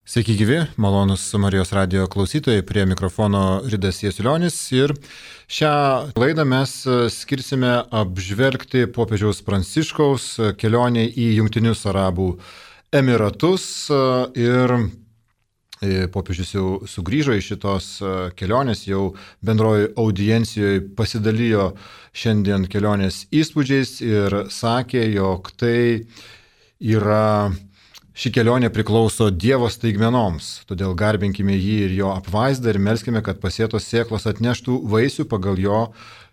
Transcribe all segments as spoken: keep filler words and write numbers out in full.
Sveiki gyvi, malonus Marijos radijo klausytojai, prie mikrofono Ridas Jasiulionis ir šią laidą mes skirsime apžvelgti popiežiaus Pranciškaus kelionę į Jungtinius Arabų Emiratus ir popiežius jau sugrįžo iš šitos kelionės, jau bendroji audiencijoje pasidalijo šiandien kelionės įspūdžiais ir sakė, jog tai yra ši kelionė priklauso Dievo staigmenoms, todėl garbinkime jį ir jo apvaizdą ir melskime, kad pasėtos sėklos atneštų vaisių pagal jo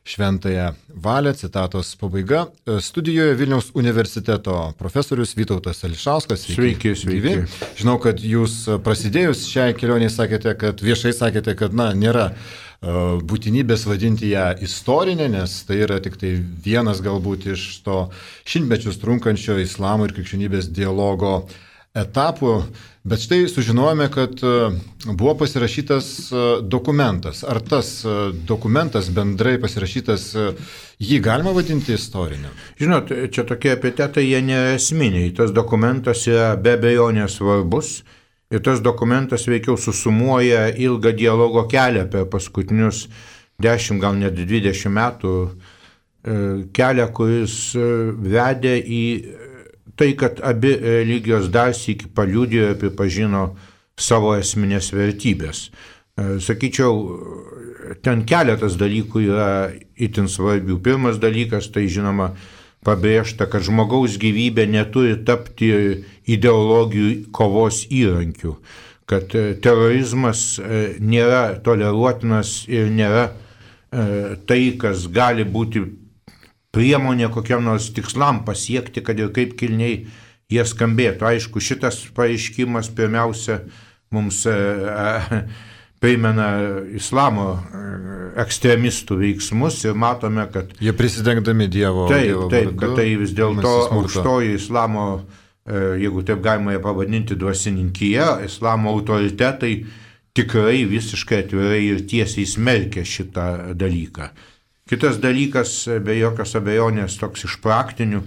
šventąją valią. Citatos pabaiga. Studijoje Vilniaus universiteto profesorius Vytautas Ališauskas. Sveiki, sveiki. Žinau, kad jūs prasidėjus šiai kelionėje sakėte, kad viešai sakėte, kad na, nėra būtinybės vadinti ją istorinė, nes tai yra tik tai vienas galbūt iš to šimtmečius trunkančio islamo ir krikščionybės dialogo etapų, bet štai sužinojome, kad buvo pasirašytas dokumentas. Ar tas dokumentas bendrai pasirašytas, jį galima vadinti istoriniu? Žinot, čia tokie epitetai, jie nėra esminiai. Tas dokumentas yra be abejonės svarbus ir tas dokumentas veikiau susumuoja ilgą dialogo kelią per paskutinius dešimt, gal net dvidešimt metų, kelią, kuris vedė į tai, kad abi religijos dar sykį paliudijo ir pripažino savo esminės vertybės. Sakyčiau, ten keletas dalykų yra itin svarbių. Pirmas dalykas, tai žinoma, pabrėžta, kad žmogaus gyvybė neturi tapti ideologijų kovos įrankiu, kad terorizmas nėra toleruotinas ir nėra tai, kas gali būti priemonė kokiam nors tikslam pasiekti, kad ir kaip kilniai jie skambėtų. Aišku, šitas pareiškimas pirmiausia mums e, e, primena islamo ekstremistų veiksmus ir matome, kad jie prisidengdami Dievo. Taip, dievo taip, vardu, kad tai vis dėlto aukštoji islamo, e, jeigu taip galima ją pavadinti, dvasininkyje, islamo autoritetai tikrai visiškai atvirai ir tiesiai smerkia šitą dalyką. Kitas dalykas, be jokios abejonės, toks iš praktinių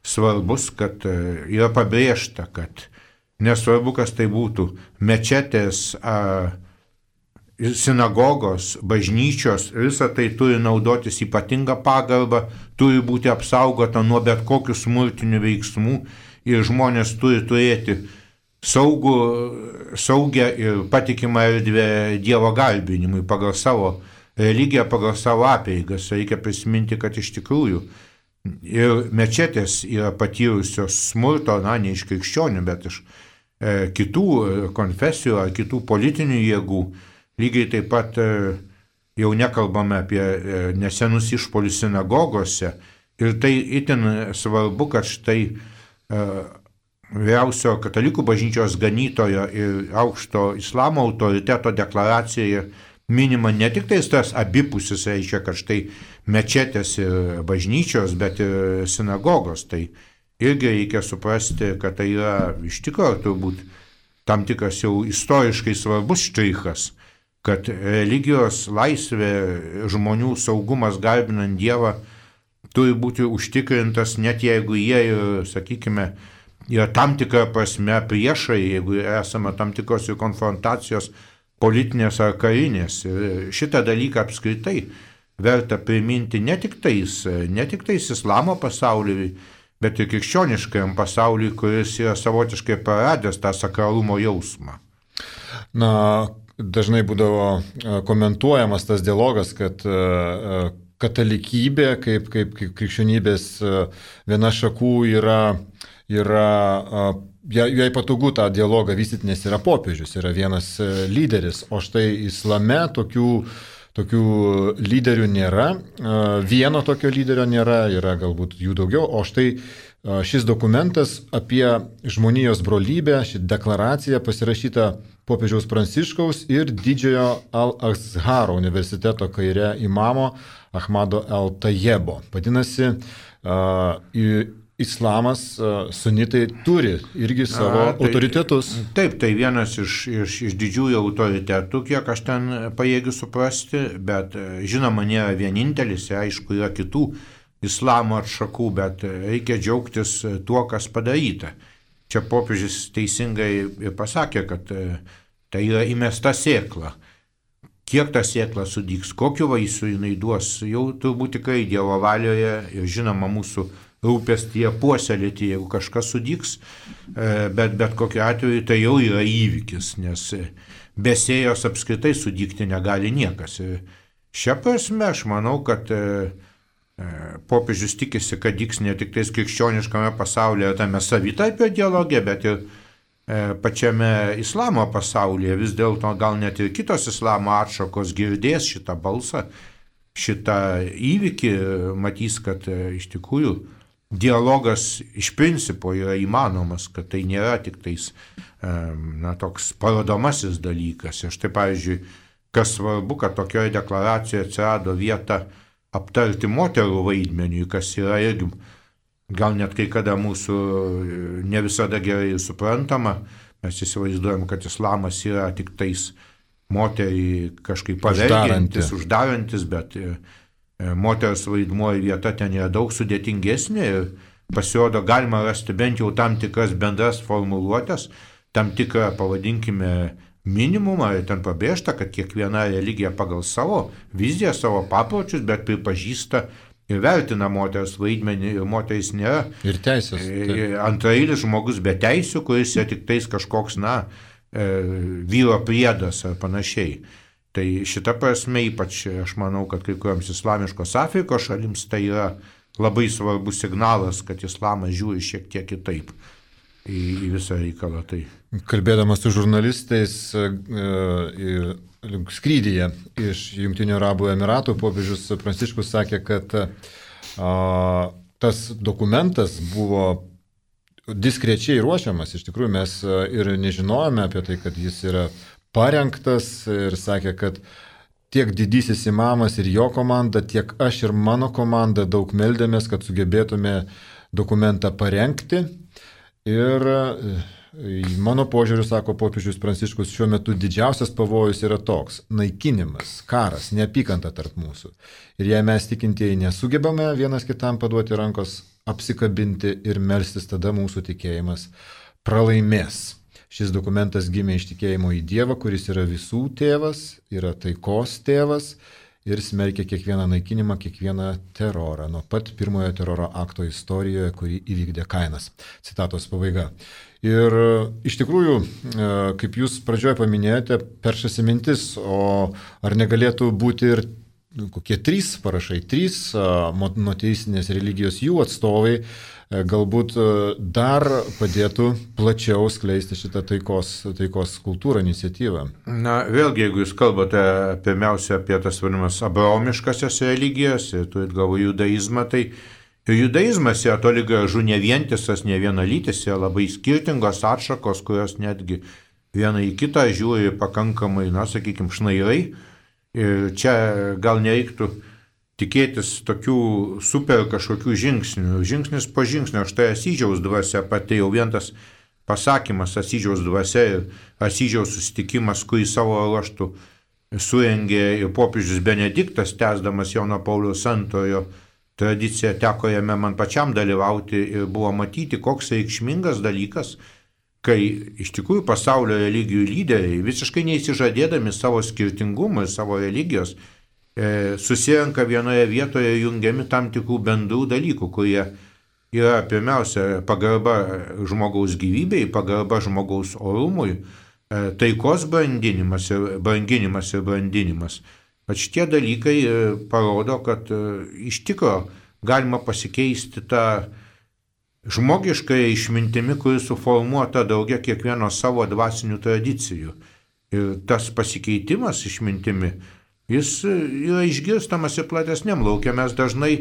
svarbus, kad yra pabrėžta, kad nesvarbu, kas tai būtų, mečetės, sinagogos, bažnyčios, visa tai turi naudotis ypatingą pagarbą, turi būti apsaugota nuo bet kokių smurtinių veiksmų ir žmonės turi turėti saugų, saugę ir patikimą erdvę Dievo garbinimui pagal savo religiją, pagal savo apeigas. Reikia prisiminti, kad iš tikrųjų ir mečetės yra patyrusios smurto, na, ne iš krikščionių, bet iš e, kitų konfesijų ar kitų politinių jėgų. Lygiai taip pat e, jau nekalbame apie e, nesenus išpolius sinagogose. Ir tai itin svarbu, kad štai e, vyriausio katalikų bažnyčios ganytojo ir aukšto islamo autoriteto deklaracijoje minima ne tik tai tas abipusis, reiškia, kad štai mečetės ir bažnyčios, bet ir sinagogos. Tai irgi reikia suprasti, kad tai yra iš tikrųjų turbūt tam tikras jau istoriškai svarbus štrichas, kad religijos laisvė, žmonių saugumas garbinant Dievą turi būti užtikrintas, net jeigu jie, sakykime, yra tam tikra prasme priešai, jeigu esame tam tikros ir konfrontacijos politinės ar karinės. Ir šitą dalyką apskritai verta priminti ne tik tais, ne tik tais islamo pasauliui, bet ir krikščioniškajam pasauliui, kuris yra savotiškai praradęs tą sakralumo jausmą. Na, dažnai būdavo komentuojamas tas dialogas, kad katalikybė kaip, kaip, kaip krikščionybės viena šakų yra, yra jai patogu tą dialogą vystyti, nes yra popiežius, yra vienas lyderis, o štai islame tokių, tokių lyderių nėra, vieno tokio lyderio nėra, yra galbūt jų daugiau, o štai šis dokumentas apie žmonijos brolybę, ši deklaracija pasirašyta popiežiaus Pranciškaus ir didžiojo Al-Azharo universiteto kaire imamo Ahmado El-Tayebo. Vadinasi, islamas, sunitai turi irgi savo A, tai, autoritetus. Taip, tai vienas iš, iš, iš didžiųjų autoritetų, kiek aš ten pajėgiu suprasti, bet žinoma, nėra vienintelis, aišku, yra kitų islamo atšakų, bet reikia džiaugtis tuo, kas padaryta. čia popiežius teisingai ir pasakė, kad tai yra įmesta sėkla. Kiek ta sėkla sudygs, kokiu vaisiu jinai duos, jau turbūt tikrai Dievo valioje ir žinoma mūsų rūpestyje puoselėti, jeigu kažkas sudygs, bet bet kokiu atveju tai jau yra įvykis, nes be sėjos apskritai sudygti negali niekas. Šia prasme aš manau, kad popiežius tikisi, kad dygs ne tik tais krikščioniškame pasaulyje, tame savitarpio dialoge, bet ir pačiame islamo pasaulyje. Vis dėlto gal net ir kitos islamo atšakos girdės šitą balsą, šitą įvykį, matys, kad iš tikrųjų dialogas iš principo yra įmanomas, kad tai nėra tik tais na, toks parodomasis dalykas. Ir štai, pavyzdžiui, kas svarbu, kad tokioje deklaracijoje atsirado vieta aptarti moterų vaidmenį, kas yra irgi gal net kai kada mūsų ne visada gerai suprantama. Mes įsivaizduojam, kad islamas yra tik tais moterį kažkaip pavergiantis, uždarantis, bet moters vaidmuo vieta ten yra daug sudėtingesnė ir pasirodo galima rasti bent jau tam tikras bendras formuluotės, tam tikrą, pavadinkime, minimumą, ir ten pabrėžta, kad kiekviena religija pagal savo viziją, savo papročius, bet pripažįsta ir vertina moters vaidmenį, ir moteris nėra ir teisės, antrailis žmogus be teisių, kuris yra tik tais kažkoks, na, vyro priedas ar panašiai. Tai šita prasme ypač aš manau, kad kai kuriams islamiškos Afrikos šalims tai yra labai svarbus signalas, kad islamas žiūri šiek tiek kitaip į, į visą reikalą. Tai. Kalbėdamas su žurnalistais ir skrydyje iš Jungtinių Arabų Emiratų, popiežius Pranciškus sakė, kad a, tas dokumentas buvo diskrečiai ruošiamas. Iš tikrųjų, mes ir nežinojome apie tai, kad jis yra parengtas, ir sakė, kad tiek didysis imamas ir jo komanda, tiek aš ir mano komanda daug meldėmės, kad sugebėtume dokumentą parengti. Ir mano požiūriu, sako popiežius Pranciškus, šiuo metu didžiausias pavojus yra toks – naikinimas, karas, neapykanta tarp mūsų. Ir jei mes tikintieji nesugebame vienas kitam paduoti rankos, apsikabinti ir melstis, tada mūsų tikėjimas pralaimės. Šis dokumentas gimė iš tikėjimo į Dievą, kuris yra visų tėvas, yra taikos tėvas ir smerkia kiekvieną naikinimą, kiekvieną terorą, nuo pat pirmojo teroro akto istorijoje, kurį įvykdė Kainas. Citatos pabaiga. Ir iš tikrųjų, kaip jūs pradžioje paminėjote, peršasi mintis, o ar negalėtų būti ir kokie trys parašai, trys monoteistinės religijos jų atstovai, galbūt dar padėtų plačiau skleisti šitą taikos, taikos kultūrą, iniciatyvą. Na, vėlgi, jeigu jūs kalbate pirmiausia apie tas vadinamas abraomiškasias religijas, ir turit galvoje judaizmą, tai judaizmas yra toli gražu ne vientisas, ne vienalytis, yra labai skirtingos atšakos, kurios netgi viena į kitą žiūri pakankamai, na, sakykime, šnairai. Ir čia gal nereiktų tikėtis tokių super kažkokių žingsnių. Žingsnis po žingsnio, štai Asyžiaus dvasia, pati jau vien tas pasakymas Asyžiaus dvasia ir Asyžiaus susitikimas, kurį savo ruožtų surengė ir popiežius Benediktas, tęsdamas Jono Pauliaus antrojo tradiciją, teko jame man pačiam dalyvauti ir buvo matyti, koks reikšmingas dalykas, kai iš tikrųjų pasaulio religijų lyderiai, visiškai neįsižadėdami savo skirtingumą ir savo religijos, e, susirenka vienoje vietoje jungiami tam tikrų bendrų dalykų, kurie yra pirmiausia pagarba žmogaus gyvybei, pagarba žmogaus orumui, e, taikos brandinimas ir branginimas ir brandinimas. Bet šitie dalykai e, parodo, kad e, iš tikro galima pasikeisti tą žmogiškai išmintimi, kuri suformuota daugia kiekvieno savo dvasinių tradicijų. Ir tas pasikeitimas išmintimi, jis yra išgirstamas ir platesniam laukia. Mes dažnai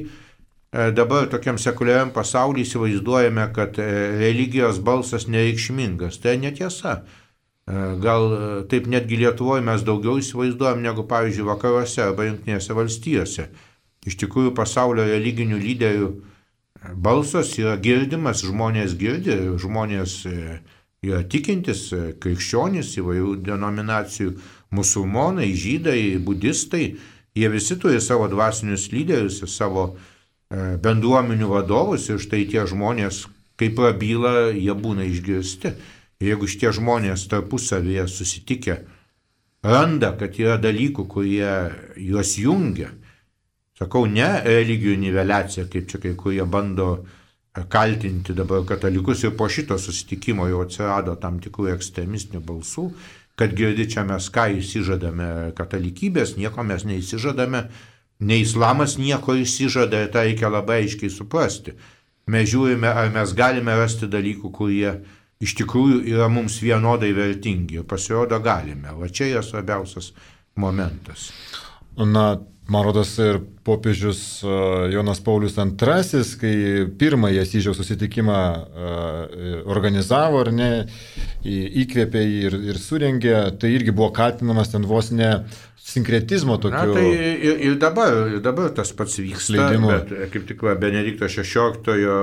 dabar tokiam sekuliariam pasaulyje įsivaizduojame, kad religijos balsas nereikšmingas. Tai netiesa. Gal taip netgi Lietuvoje mes daugiau įsivaizduojam negu, pavyzdžiui, vakaruose arba Jungtinėse valstijose. Iš tikrųjų, pasaulio religinių lyderių balsas yra girdimas, žmonės girdi, žmonės yra tikintis, krikščionys, įvairių denominacijų, musulmonai, žydai, budistai, jie visi turi savo dvasinius lyderius ir savo bendruomenių vadovus ir štai tie žmonės, kai prabyla, jie būna išgirsti. Ir jeigu šitie žmonės tarpusavėje susitikę randa, kad yra dalykų, kurie juos jungia, sakau, ne religijų niveliacija, kaip čia kai kurie bando kaltinti dabar katalikus, ir po šito susitikimo jau atsirado tam tikrų ekstremistinių balsų, kad girdi čia mes ką įsižadame katalikybės, nieko mes neįsižadame, ne islamas nieko įsižada, ir tą reikia labai aiškiai suprasti. Mes žiūrime, ar mes galime rasti dalykų, kurie iš tikrųjų yra mums vienodai vertingi, ir pasirodo galime. Va čia yra svarbiausias momentas. Na, man rodos, ir popiežius Jonas Paulius antrasis, kai pirmąjį Asyžiaus susitikimą organizavo, ar ne, įkvėpė ir, ir surengė, tai irgi buvo kaltinamas ten vos ne sinkretizmo tokiu. Na, tai ir, ir, dabar, ir dabar tas pats vyksta, skleidimu. Bet kaip tik Benedikto šešioliktojo,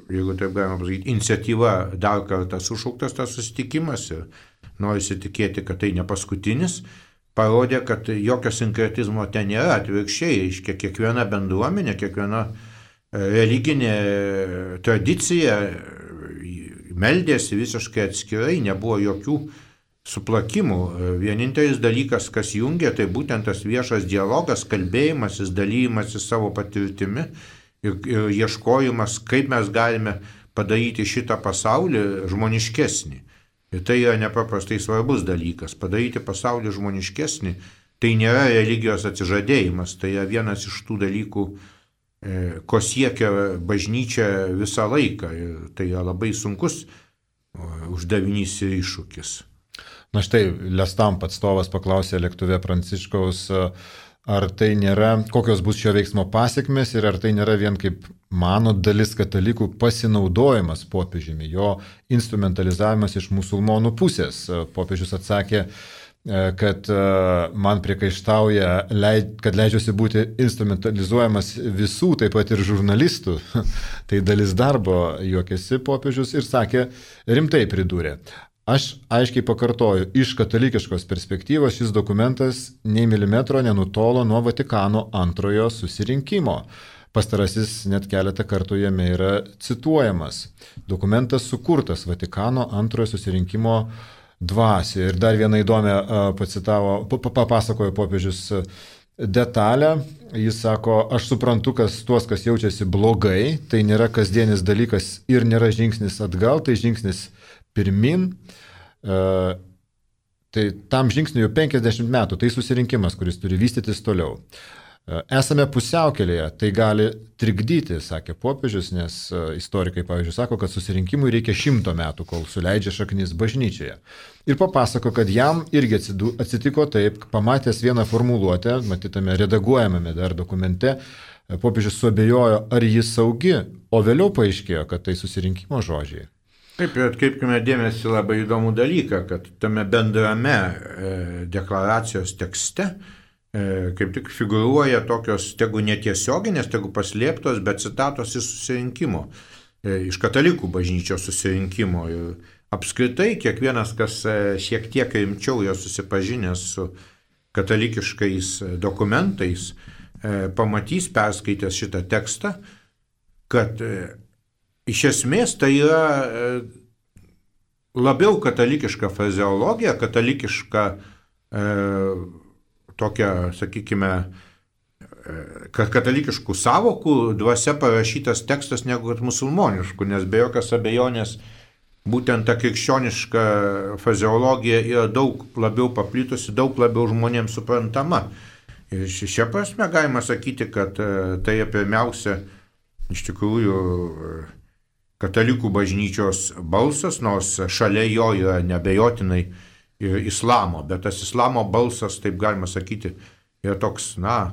jeigu taip galima pasakyti, iniciatyva dar kartą sušauktas tas susitikimas ir norisi tikėti, kad tai ne paskutinis, parodė, kad jokio sinkretizmo ten nėra, atvirkščiai, reiškia, kiekviena bendruomenė, kiekviena religinė tradicija meldėsi visiškai atskirai, nebuvo jokių suplakimų. Vienintelis dalykas, kas jungia, tai būtent tas viešas dialogas, kalbėjimasis, dalymasis savo patirtimi ir, ir ieškojimas, kaip mes galime padaryti šitą pasaulį žmoniškesnį. Ir tai yra nepaprastai svarbus dalykas. Padaryti pasaulį žmoniškesnį, tai nėra religijos atsižadėjimas, tai yra vienas iš tų dalykų, ko siekia bažnyčia visą laiką. Ir tai yra labai sunkus uždavinys ir iššūkis. Na štai, Lestamp atstovas paklausė lėktuve Pranciškaus, ar tai nėra, kokios bus šio veiksmo pasiekmes ir ar tai nėra vien kaip mano dalis katalikų pasinaudojimas popiežiumi, jo instrumentalizavimas iš musulmonų pusės. Popiežius atsakė, kad man priekaištauja, kad leidžiuosi būti instrumentalizuojamas visų, taip pat ir žurnalistų. Tai dalis darbo, juokėsi popiežius ir sakė, rimtai pridūrė. Aš aiškiai pakartoju, iš katalikiškos perspektyvos šis dokumentas nei milimetro nenutolo nuo Vatikano antrojo susirinkimo. Pastarasis net keletą kartų jame yra cituojamas. Dokumentas sukurtas Vatikano antrojo susirinkimo dvasioje. Ir dar vieną įdomią pacitavo, papasakojo popiežius detalę. Jis sako, aš suprantu, kas tuos, kas jaučiasi blogai, tai nėra kasdienis dalykas ir nėra žingsnis atgal, tai žingsnis pirmin. Uh, tai tam žingsniui jau penkiasdešimt metų, tai susirinkimas, kuris turi vystytis toliau. Uh, esame pusiaukelėje, tai gali trikdyti, sakė popiežius, nes uh, istorikai, pavyzdžiui, sako, kad susirinkimui reikia šimto metų, kol suleidžia šaknis bažnyčioje. Ir papasako, kad jam irgi atsitiko taip, pamatęs vieną formuluotę, matytame redaguojamame dar dokumente, popiežius suabejojo, ar jis saugi, o vėliau paaiškėjo, kad tai susirinkimo žodžiai. Taip, ir atkreipkime dėmesį labai įdomų dalyką, kad tame bendrame e, deklaracijos tekste e, kaip tik figūruoja tokios, tegu netiesioginės, tegu paslėptos, bet citatos iš susirinkimo, e, iš katalikų bažnyčios susirinkimo. Ir apskritai kiekvienas, kas e, šiek tiek rimčiau jau susipažinęs su katalikiškais dokumentais, e, pamatys, perskaitęs šitą tekstą, kad e, iš esmės tai yra labiau katalikiška frazeologija, katalikiška e, tokia, sakykime, e, katalikiškų savokų dvasia parašytas tekstas negu musulmoniškų, nes be jokios abejonės būtent ta krikščioniška frazeologija yra daug labiau paplitusi, daug labiau žmonėms suprantama. Ir šia prasme galima sakyti, kad e, tai pirmiausia iš tikrųjų katalikų bažnyčios balsas, nors šalia jo yra nebejotinai ir islamo, bet tas islamo balsas, taip galima sakyti, yra toks, na,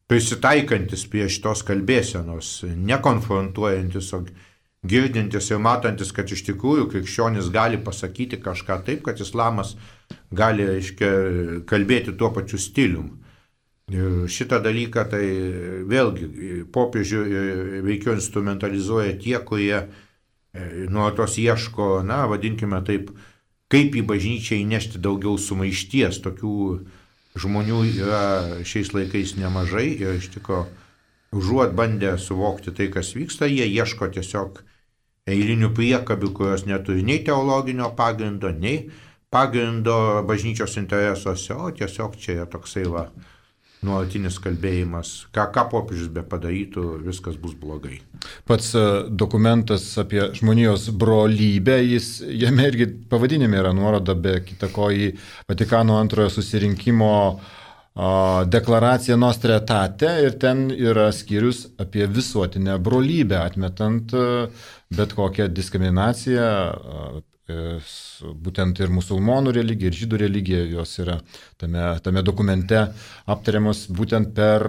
prisitaikantis prie šitos kalbėsenos, nekonfrontuojantis, o girdintis ir matantis, kad iš tikrųjų krikščionis gali pasakyti kažką taip, kad islamas gali, reiškia, kalbėti tuo pačiu stilium. Ir šitą dalyką tai vėlgi popiežių veikiau instrumentalizuoja tie, kurie nuolatos ieško, na, vadinkime taip, kaip į bažnyčią įnešti daugiau sumaišties. Tokių žmonių yra šiais laikais nemažai ir iš tikrųjų užuot bandę suvokti tai, kas vyksta, jie ieško tiesiog eilinių priekabių, kurios neturi nei teologinio pagrindo, nei pagrindo bažnyčios interesuose, o tiesiog čia yra toksai va nuolatinis kalbėjimas, ką, ką popiežius be padarytų, viskas bus blogai. Pats dokumentas apie žmonijos brolybę, jis, jame irgi pavadinime yra nuoroda be kitako į Vatikano antrojo susirinkimo deklaraciją Nostra Aetate ir ten yra skyrius apie visuotinę brolybę, atmetant bet kokią diskriminaciją, būtent ir musulmonų religija, ir žydų religija, jos yra tame, tame dokumente aptariamos būtent per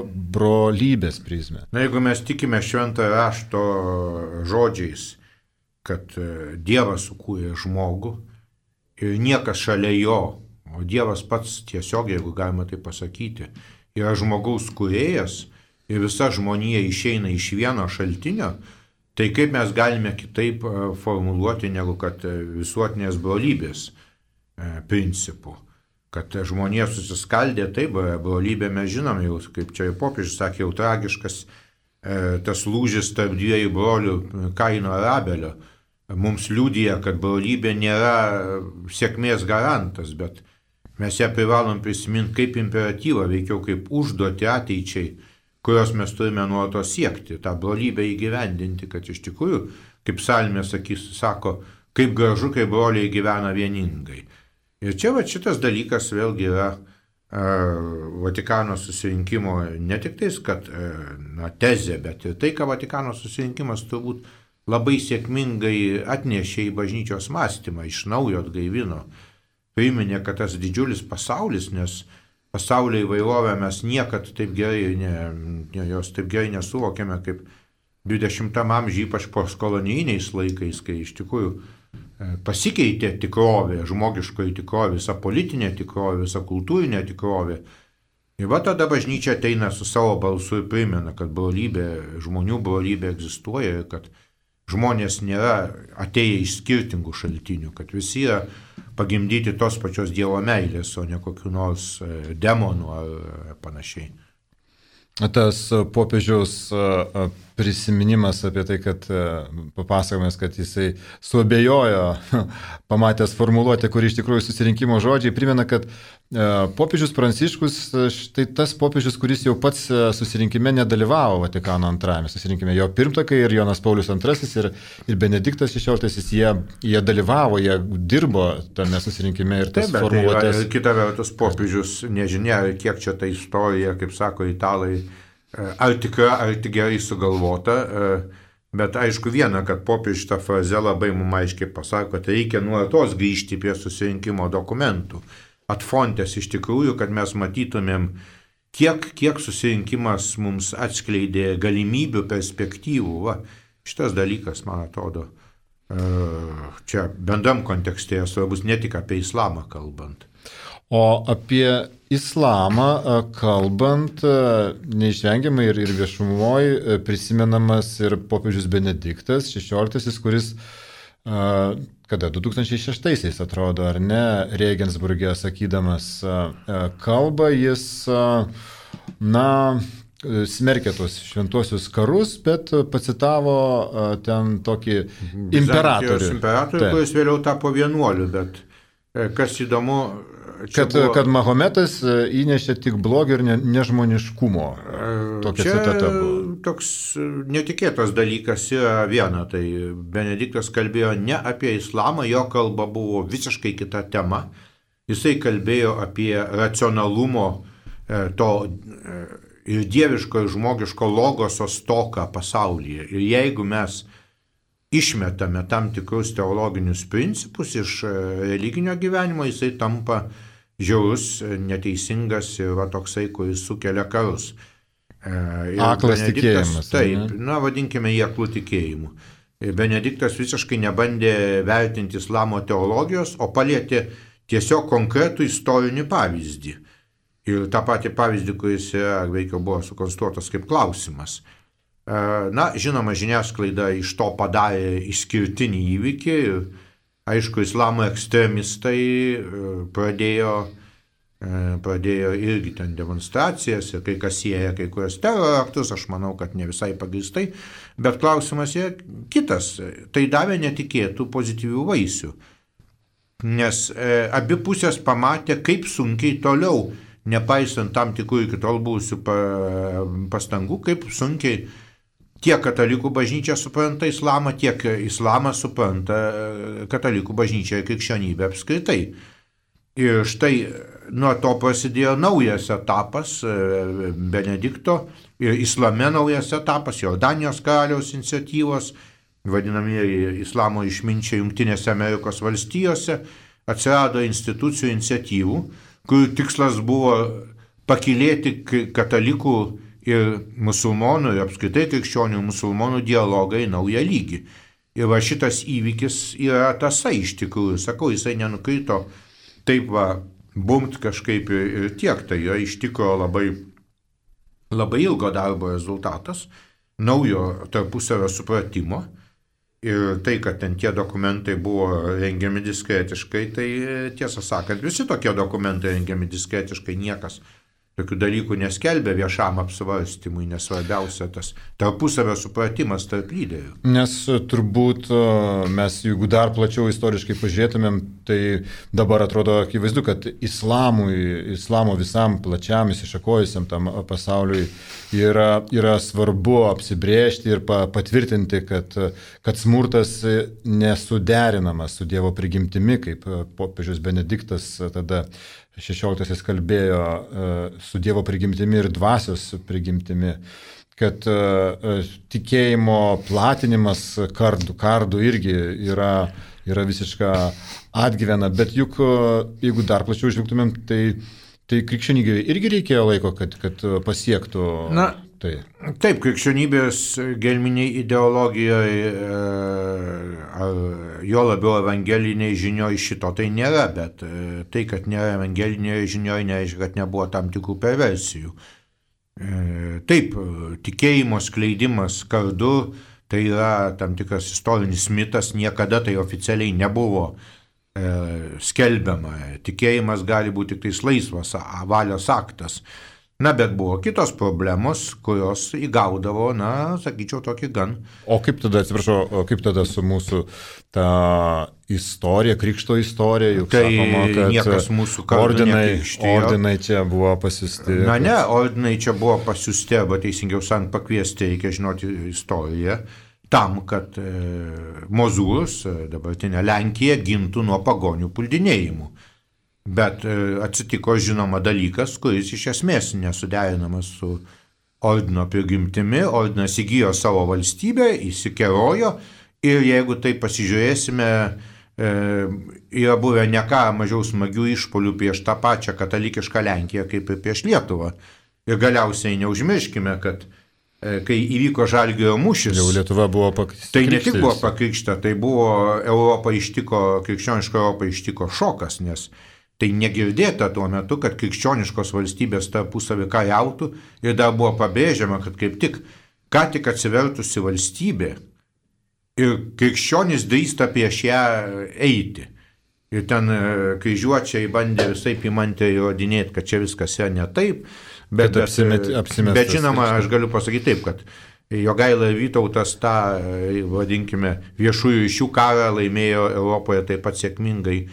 brolybės prizmę. Na, jeigu mes tikime šventą rašto žodžiais, kad Dievas sukūrė žmogų ir niekas šalia jo, o Dievas pats tiesiog, jeigu galima tai pasakyti, yra žmogaus kūrėjas ir visa žmonija išeina iš vieno šaltinio, tai kaip mes galime kitaip formuluoti negu kad visuotinės brolybės principų. Kad žmonija susiskaldė, taip, brolybė mes žinom, jau, kaip čia jau popiežius sakė, jau tragiškas tas lūžis tarp dviejų brolių Kaino ir Abelio. Mums liudija, kad brolybė nėra sėkmės garantas, bet mes ją privalom prisiminti kaip imperatyvą, veikiau kaip užduoti ateičiai, kurios mes turime nuolatos siekti, tą brolybę įgyvendinti, kad iš tikrųjų, kaip psalmė sakys, sako, kaip gražu, kai broliai gyvena vieningai. Ir čia va, šitas dalykas vėlgi yra e, Vatikano susirinkimo ne tik tais, kad e, na, tezė, bet ir tai, ką Vatikano susirinkimas turbūt labai sėkmingai atnešė į bažnyčios mąstymą, iš naujo atgaivino, priminė, kad tas didžiulis pasaulis, nes pasaulio įvairovę mes niekad taip gerai, ne, ne, jos taip gerai nesuvokėme kaip dvidešimtam amžiuje, ypač postkolonijiniais laikais, kai iš tikrųjų pasikeitė tikrovė, žmogiškoji tikrovė, visa politinė tikrovė, visa kultūrinė tikrovė. Ir va tada bažnyčia ateina su savo balsu ir primena, kad brolybė, žmonių brolybė egzistuoja ir kad žmonės nėra atėję iš skirtingų šaltinių, kad visi yra pagimdyti tos pačios Dievo meilės, o ne kokių nors demonų ar panašiai. Tas popiežiaus prisiminimas apie tai, kad papasakomas, kad jisai suabejojo, pamatęs formuluotę, kuri iš tikrųjų susirinkimo žodžiai, primena, kad popiežius Pranciškus, štai tas popiežius, kuris jau pats susirinkime nedalyvavo Vatikano antrajame susirinkime, jo pirmtakai ir Jonas Paulius antrasis ir, ir Benediktas šešioliktasis, jie, jie dalyvavo, jie dirbo tame susirinkime ir tas Taip, formuluotės. Tai kita vertus popiežius nežinia, kiek čia ta istorija, kaip sako italai, ar tikra, ar tik gerai sugalvota, bet aišku viena, kad popiežius tą frazę labai mums aiškiai pasako, kad reikia nuolatos grįžti prie susirinkimo dokumentų. Atfontės iš tikrųjų, kad mes matytumėm, kiek, kiek susirinkimas mums atskleidė galimybių, perspektyvų. Va, šitas dalykas, man atrodo, čia bendram kontekste svarbus ne tik apie islamą kalbant. O apie islamą kalbant, neišvengiamai ir, ir viešumoje prisimenamas ir popiežius Benediktas šešioliktasis, kuris kada du tūkstančiai šeštaisiais atrodo, ar ne, Regensburge sakydamas kalbą, jis, na, smerkė tos šventuosius karus, bet pacitavo ten tokį imperatorių. Imperatorių, kuris vėliau tapo vienuoliu, bet kas įdomu, kad, buvo, kad Mahometas įnešė tik blogio ir ne, nežmoniškumo. Tokia čia citata buvo. Toks netikėtas dalykas yra viena, tai Benediktas kalbėjo ne apie islamą, jo kalba buvo visiškai kita tema. Jisai kalbėjo apie racionalumo to ir dieviško ir žmogiško logoso stoką pasaulyje. Ir jeigu mes išmetame tam tikrus teologinius principus iš religinio gyvenimo, jisai tampa žiaurus, neteisingas ir va toksai, kuris sukelia karus. Ir aklas tikėjimas. Taip, ne? Na, vadinkime jį aklų tikėjimu. Ir Benediktas visiškai nebandė vertinti islamo teologijos, o palietė tiesiog konkretų istorinį pavyzdį. Ir tą patį pavyzdį, kuris veikiau buvo sukonstruotas kaip klausimas. Na, žinoma, žiniasklaida iš to padarė išskirtinį įvykį ir, aišku, islamo ekstremistai pradėjo pradėjo irgi ten demonstracijas ir kai kas sieja kai kurios teroro aktus, aš manau, kad ne visai pagrįstai, bet klausimas yra kitas. Tai davė netikėtų pozityvių vaisių, nes e, abi pusės pamatė, kaip sunkiai toliau, nepaisant tam tikrų iki tol buvusių pastangų, kaip sunkiai tiek katalikų bažnyčia supranta islamą, tiek islamas supranta katalikų bažnyčia ir krikščionybė apskritai. Ir štai nuo to prasidėjo naujas etapas Benedikto ir islame naujas etapas, Jordanijos karaliaus iniciatyvos, vadinamieji islamo išminčiai Jungtinėse Amerikos valstijose, atsirado institucijų iniciatyvų, kurių tikslas buvo pakilėti katalikų ir musulmonų, ir apskritai krikščionių ir musulmonų dialogą į naują lygį. Ir va šitas įvykis yra tasai iš tikrųjų, sakau, jisai nenukrito taip va, bumt kažkaip ir, ir tiek, tai yra iš tikrųjų labai, labai ilgo darbo rezultatas, naujo tarpusavio supratimo. Ir tai, kad ten tie dokumentai buvo rengiami diskretiškai, tai tiesą sakant, visi tokie dokumentai rengiami diskretiškai, niekas tokių dalykų neskelbia viešam apsvarstymui, nes svarbiausia tas tarpusavio supratimas tarp lyderių. Nes turbūt mes, jeigu dar plačiau istoriškai pažiūrėtumėm, tai dabar atrodo akivaizdu, kad islamui, islamo visam plačiam įsišakojusiam tam pasauliui yra, yra svarbu apsibrėžti ir pa, patvirtinti, kad, kad smurtas nesuderinamas su Dievo prigimtimi, kaip popiežius Benediktas tada šešioliktasis kalbėjo su Dievo prigimtimi ir dvasios prigimtimi, kad tikėjimo platinimas kardų, kardų irgi yra, yra visiška atgyvena, bet juk jeigu dar plačiau žvelgtumėm, tai, tai krikščionybė irgi reikėjo laiko, kad, kad pasiektų. Na, tai. Taip, krikščionybės gelminiai ideologijoje, ar jo labiau evangeliniai žinioj šito tai nėra, bet tai, kad nėra evangelinėje žinioj, nereiškia, kad nebuvo tam tikrų perversijų. Taip, tikėjimo skleidimas kardu, tai yra tam tikras istorinis mitas, niekada tai oficialiai nebuvo skelbiama. Tikėjimas gali būti tik tais laisvas valios aktas. Na, bet buvo kitos problemos, kurios įgaudavo, na, sakyčiau, tokį gan. O kaip tada, atsiprašau, o kaip tada su mūsų ta istorija, krikšto istorija, juk tai sakoma, kad niekas mūsų kardų ordinai, nekrikštijo. ordinai čia buvo pasiusti. Na ne, ordinai čia buvo pasiusti, arba teisingiau sakant, pakviesti, reikia žinoti istoriją, tam, kad e, Mozūras, dabartinė Lenkija, gintų nuo pagonių puldinėjimų. Bet atsitiko žinoma dalykas, kuris iš esmės nesuderinamas su ordino prigimtimi. Ordinas įgijo savo valstybę, įsikerojo ir jeigu tai pasižiūrėsime, e, yra buvę ne ką mažiau smagių išpolių prieš tą pačią katalikišką Lenkiją kaip ir prieš Lietuvą. Ir galiausiai neužmirškime, kad e, kai įvyko Žalgirio mūšis, jau Lietuva buvo pakrikštyta. Tai ne tik buvo pakrikštyta, tai buvo Europą ištiko, krikščionišką Europą ištiko šokas, nes tai negirdėta tuo metu, kad krikščioniškos valstybės tarpusavį kariautų ir dar buvo pabrėžiama, kad kaip tik ką tik atsivertusi valstybė ir krikščionys drįsta prieš ją eiti. Ir ten kryžiuočiai bandė visaip įmantė įrodinėti, kad čia viskas yra ne taip. Bet, bet, apsimet, bet žinoma, aš galiu pasakyti taip, kad Jogaila ir Vytautas tą, vadinkime, viešųjų ryšių karą laimėjo Europoje taip pat sėkmingai,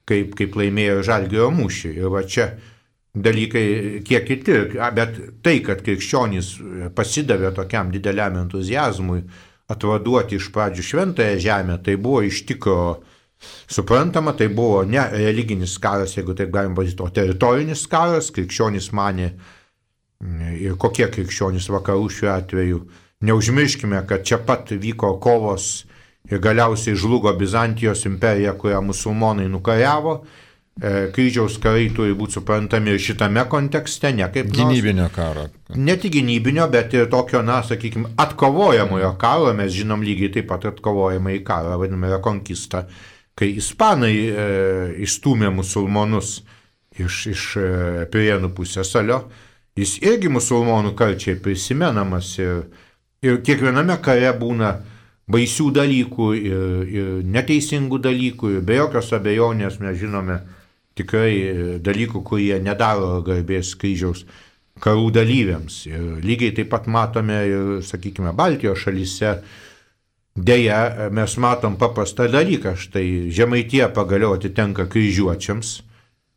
kaip, kaip laimėjo Žalgirio mūšį. Ir va čia dalykai kiek kiti, bet tai, kad krikščionys pasidavė tokiam dideliam entuzijazmui atvaduoti iš pradžių šventąją žemę, tai buvo iš tikro suprantama, tai buvo ne religinis karas, jeigu taip galim pasakyti, o teritorinis karas. Krikščionys manė, ir kokie krikščionys vakarų šiuo atveju, neužmirškime, kad čia pat vyko kovos ir galiausiai žlugo Bizantijos imperija, kurią musulmonai nukariavo. Kryžiaus karai turi būti suprantami ir šitame kontekste, ne kaip gynybinio karo. Ne tik gynybinio, bet ir tokio, na, sakykime, atkovojamojo karo. Mes žinom lygiai taip pat atkovojamąjį karą, vadiname rekonkistą, kai ispanai e, išstūmė musulmonus iš, iš e, Pirėnų pusiasalio. Jis irgi musulmonų karčiai prisimenamas ir, ir kiekviename kare būna baisių dalykų ir, ir neteisingų dalykų, ir be jokios abejonės mes žinome tikrai dalykų, kurie nedaro garbės kryžiaus karų dalyviams. Ir lygiai taip pat matome ir, sakykime, Baltijos šalyse. Deja, mes matom paprastą dalyką. Štai Žemaitija pagaliau atitenka kryžiuočiams.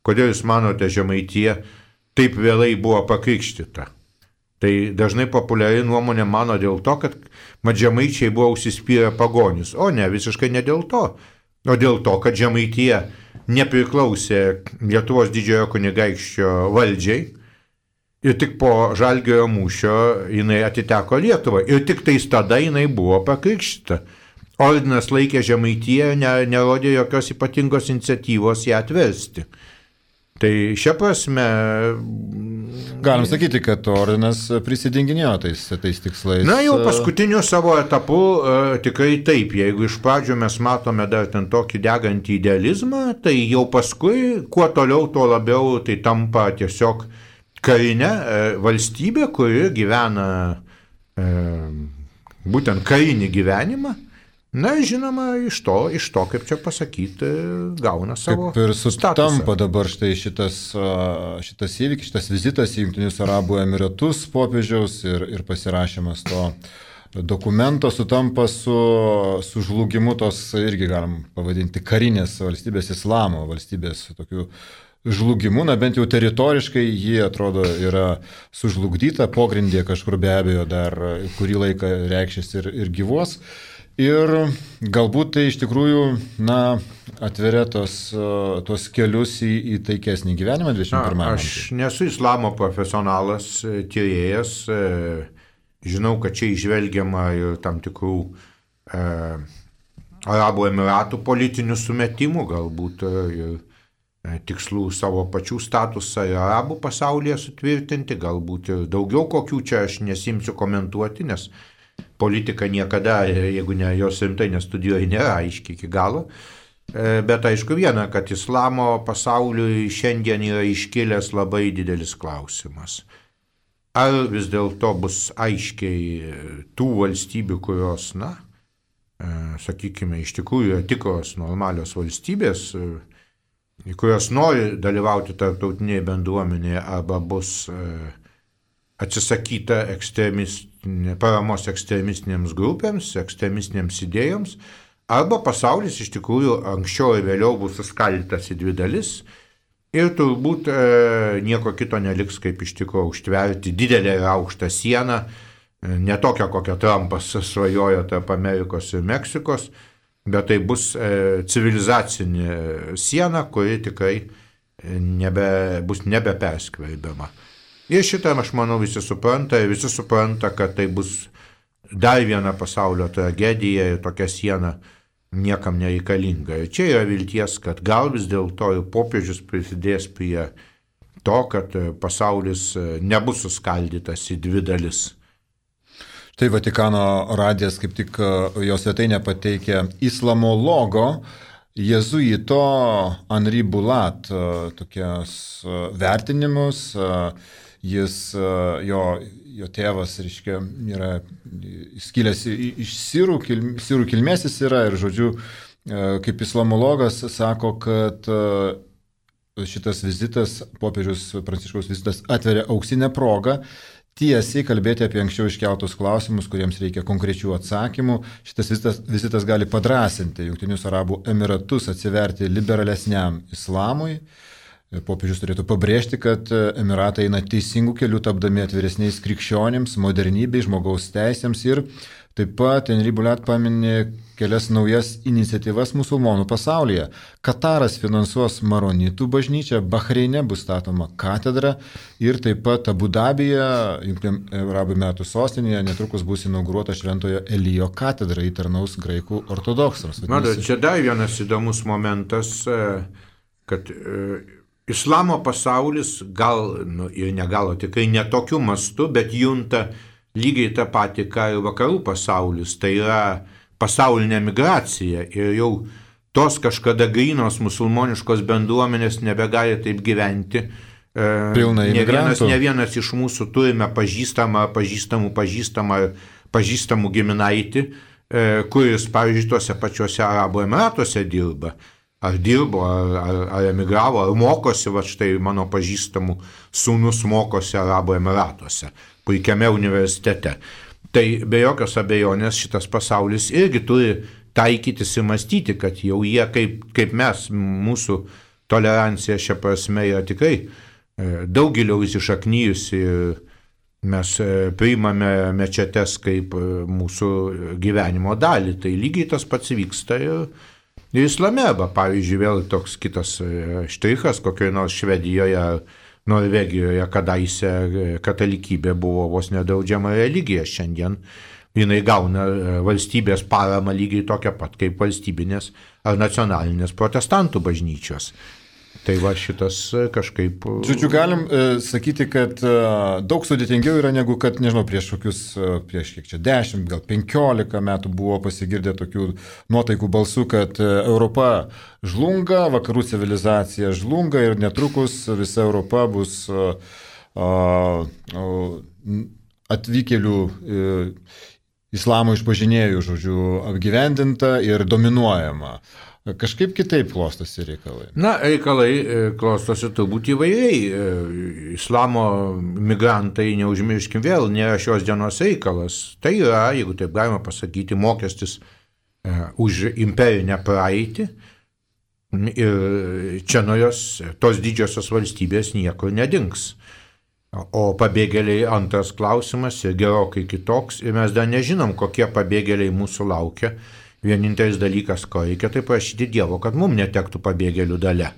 Kodėl jūs manote, Žemaitija taip vėlai buvo pakrikštyta? Tai dažnai populiari nuomonė mano dėl to, kad mat žemaičiai buvo užsispyrę pagonis. O ne, visiškai ne dėl to. O dėl to, kad Žemaitija nepriklausė Lietuvos didžiojo kunigaikščio valdžiai ir tik po Žalgirio mūšio jinai atiteko Lietuvai. Ir tik tais tada jinai buvo pakrikštyta. Ordinas laikė Žemaitiją, ne, nerodė jokios ypatingos iniciatyvos ją atversti. Tai šia prasme... Galim sakyti, kad ordinas prisidenginėjo tais, tais tikslais. Na, jau paskutiniu savo etapu uh, tikrai taip. Jeigu iš pradžių mes matome dar ten tokį degantį idealizmą, tai jau paskui, kuo toliau, tuo labiau tai tampa tiesiog karinė uh, valstybė, kuri gyvena uh, būtent karinį gyvenimą. Na, žinoma, iš to, iš to, kaip čia pasakyti, gauna savo kaip ir sutampa statusą. Dabar štai šitas, šitas įvykis, šitas vizitas į Jungtinius Arabų Emiratus popiežiaus ir, ir pasirašymas to dokumento sutampa su, su žlugimu tos, irgi galim pavadinti, karinės valstybės, islamo valstybės tokiu žlugimu, na bent jau teritoriškai ji atrodo yra sužlugdyta, pogrindė kažkur be abejo dar kurį laiką reikšis ir, ir gyvos. Ir galbūt tai iš tikrųjų, na, atveria tos, tos kelius į, į taikesnį gyvenimą dvidešimt pirmame amžiuje. Aš nesu islamo profesionalas, tyrėjas, žinau, kad čia išvelgiama ir tam tikrų e, Arabų Emiratų politinių sumetimų, galbūt ir e, tikslų savo pačių statusą ir Arabų pasaulyje sutvirtinti, galbūt ir daugiau kokių čia aš nesimsiu komentuoti, nes politika niekada, jeigu ne jos rimtai nestudijuoja, nėra aiškiai iki galo. Bet aišku viena, kad islamo pasauliui šiandien yra iškilęs labai didelis klausimas. Ar vis dėlto bus aiškiai tų valstybių, kurios, na, sakykime, iš tikrųjų yra tikros normalios valstybės, kurios nori dalyvauti tarptautinėje bendruomenėje, arba bus atsisakyta ekstremistinė, paramos ekstremistinėms grupėms, ekstremistinėms idėjoms, arba pasaulis iš tikrųjų anksčiau ir vėliau bus suskaldytas į dvi dalis ir turbūt e, nieko kito neliks, kaip iš tikrųjų užtverti didelę ir aukštą sieną, e, ne tokią, kokią Trumpas svajojo tarp Amerikos ir Meksikos, bet tai bus e, civilizacinė siena, kuri tikrai nebe, bus nebeperskverbiama. Ir šitą, aš manau, visi supranta, ir visi supranta, kad tai bus dar viena pasaulio tragedija ir tokia siena niekam nereikalinga. Ir čia yra vilties, kad gal vis dėlto ir popiežius prisidės prie to, kad pasaulis nebus suskaldytas į dvi dalis. Tai Vatikano radijas kaip tik jo svetainė pateikė islamologo jėzuito Henri Bulat tokias vertinimus. Jis, jo, jo tėvas, reiškia, yra skilęs iš sirų, sirų kilmės jis yra ir, žodžiu, kaip islamologas sako, kad šitas vizitas, popiežiaus Pranciškaus vizitas atveria auksinę progą tiesiai kalbėti apie anksčiau iškeltus klausimus, kuriems reikia konkrečių atsakymų. Šitas vizitas, vizitas gali padrasinti Jungtinius Arabų Emiratus atsiverti liberalesniam islamui. Popiežius turėtų pabrėžti, kad Emiratai eina teisingų kelių, tapdami atviresniais krikščionims, modernybei, žmogaus teisėms ir taip pat Henri Bulat paminė kelias naujas iniciatyvas musulmonų pasaulyje. Kataras finansuos Maronitų bažnyčią, Bahreine bus statoma katedra ir taip pat Abu Dabyje, Jungtinių Arabų Emiratų sostinėje, netrukus bus inauguruota Šventojo Elijo katedra, įtarnaus graikų ortodoksams. Matot, čia dar vienas įdomus momentas, kad islamo pasaulis gal, nu, ir negalo tikrai netokiu mastu, bet junta lygiai tą patį, ką ir vakarų pasaulis, tai yra pasaulinė migracija ir jau tos kažkada grynos musulmoniškos bendruomenės nebegali taip gyventi. Pilna ne vienas, imigrantų. ne vienas iš mūsų turime pažįstamą, pažįstamų, pažįstamą, pažįstamų giminaitį, kuris, pavyzdžiui, tuose pačiuose Arabų Emiratuose dirba. ar dirbo, ar, ar, ar emigravo, ar mokosi, va štai mano pažįstamų sūnus mokosi Arabų Emiratuose, puikiame universitete. Tai be jokios abejonės šitas pasaulis irgi turi taikytis ir mąstyti, kad jau jie kaip, kaip mes, mūsų tolerancija šia prasme yra tikrai daug giliau įsišaknyjusi ir mes priimame mečetes kaip mūsų gyvenimo dalį. Tai lygiai tas pats vyksta ir, ir islame. Arba, pavyzdžiui, vėl toks kitas štrichas, kokioje nors Švedijoje ar Norvegijoje kadaise katalikybė buvo vos nedraudžiama religija. Šiandien jinai gauna valstybės paramą lygiai tokią pat kaip valstybinės ar nacionalinės protestantų bažnyčios. Tai va šitas kažkaip... Žodžiu, galim e, sakyti, kad e, daug sudėtingiau yra negu kad, nežinau, prieš kokius, e, prieš kiek čia dešimt, gal penkiolika metų buvo pasigirdę tokių nuotaikų balsų, kad e, Europa žlunga, vakarų civilizacija žlunga ir netrukus visa Europa bus e, e, atvykėlių e, islamo išpažinėjų, žodžiu, apgyvendinta ir dominuojama. Kažkaip kitaip klostosi reikalai. Na, reikalai klostosi turbūt įvairiai. Islamo migrantai, neužmirškim vėl, nėra šios dienos reikalas. Tai yra, jeigu taip galima pasakyti, mokestis už imperinę praeitį. Ir čia nuo jos, tos didžiosios valstybės niekur nedings. O pabėgėliai antras klausimas ir gerokai kitoks. Ir mes dar nežinom, kokie pabėgėliai mūsų laukia. Vienintelis dalykas, ko reikia, tai prašyti Dievo, kad mums netektų pabėgėlių dalia.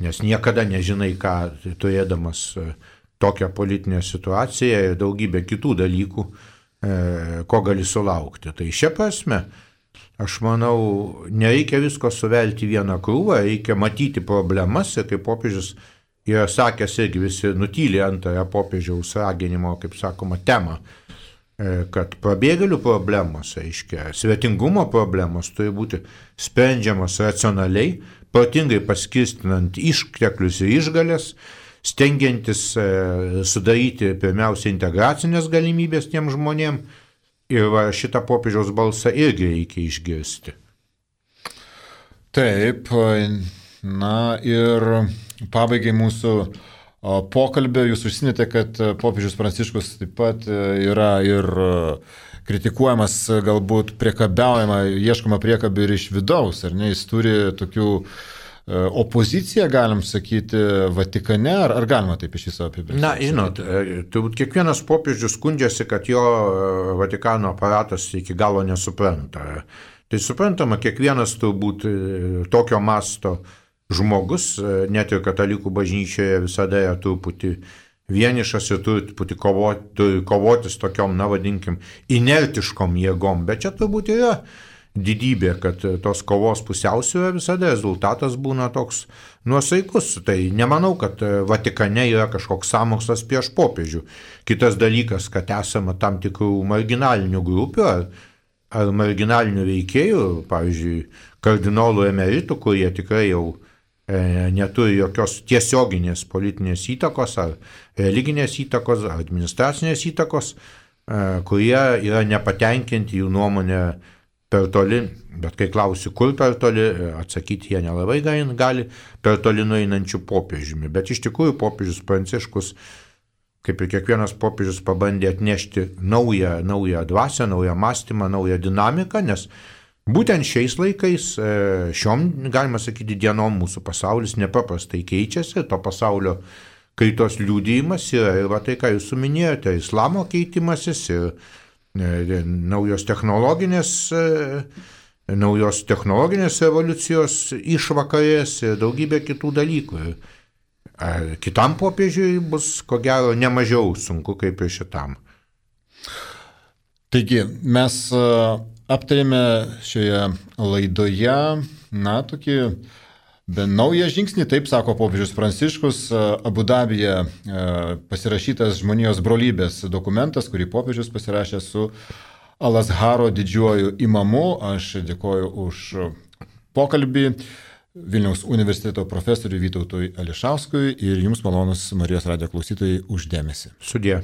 Nes niekada nežinai, ką turėdamas tokią politinę situaciją ir daugybę kitų dalykų, ko gali sulaukti. Tai šia prasme, aš manau, nereikia visko suvelti vieną krūvą, reikia matyti problemas ir kaip popiežius yra sakęs, irgi visi nutylė antrąją popiežiaus raginimo, kaip sakoma, temą, kad pabėgėlių problemos, aiškia, svetingumo problemos turi būti sprendžiamos racionaliai, protingai paskirstinant išteklius ir išgalės, stengiantis sudaryti pirmiausia integracinės galimybės tiem žmonėm ir va, šitą popiežiaus balsą irgi reikia išgirsti. Taip, na ir pabaigai mūsų pokalbio jūs užsiminėte, kad popiežius Pranciškus taip pat yra ir kritikuojamas, galbūt priekabiaujama, ieškoma priekabių ir iš vidaus, ar ne? Jis turi tokių opoziciją, galim sakyti, Vatikane, ar, ar galima taip iš viso apibrėžti? Na, žinot, turbūt kiekvienas popiežius skundžiasi, kad jo Vatikano aparatas iki galo nesupranta. Tai suprantama, kiekvienas turbūt tokio masto žmogus, net ir katalikų bažnyčioje visada yra truputį vienišas ir turi truputį kovoti, turi kovotis tokiom, na vadinkim, inertiškom jėgom, bet čia turbūt yra didybė, kad tos kovos pusiausvyrą visada rezultatas būna toks nuosaikus. Tai nemanau, kad Vatikane yra kažkoks sąmokslas prieš popiežių. Kitas dalykas, kad esama tam tikrų marginalinių grupių ar, ar marginalinių veikėjų, pavyzdžiui, kardinolų emeritų, kurie tikrai jau neturi jokios tiesioginės politinės įtakos ar religinės įtakos ar administracinės įtakos, kurie yra nepatenkinti jų nuomonę per toli, bet kai klausi, kur per toli, atsakyti jie nelabai gali, per toli nueinančių popiežiumi. Bet iš tikrųjų popiežius Pranciškus, kaip ir kiekvienas popiežius, pabandė atnešti naują, naują dvasią, naują mąstymą, naują dinamiką, nes būtent šiais laikais, šiom, galima sakyti, dienom mūsų pasaulis nepaprastai keičiasi, to pasaulio kaitos liudijimas yra ir va tai, ką jūs suminėjote, islamo keitimasis ir naujos technologinės, naujos technologinės revoliucijos išvakarės ir daugybė kitų dalykų. Kitam popiežiui bus, ko gero, nemažiau sunku kaip ir šitam. Taigi, mes aptarėme šioje laidoje, na, tokį bent naują žingsnį, taip sako popiežius Pranciškus, Abu Dabyje pasirašytas žmonijos brolybės dokumentas, kurį popiežius pasirašė su Al-Azharo didžiuoju imamu. Aš dėkoju už pokalbį Vilniaus universiteto profesoriui Vytautui Ališauskui ir jums malonus Marijos radijo klausytojai už dėmesį. Sudie.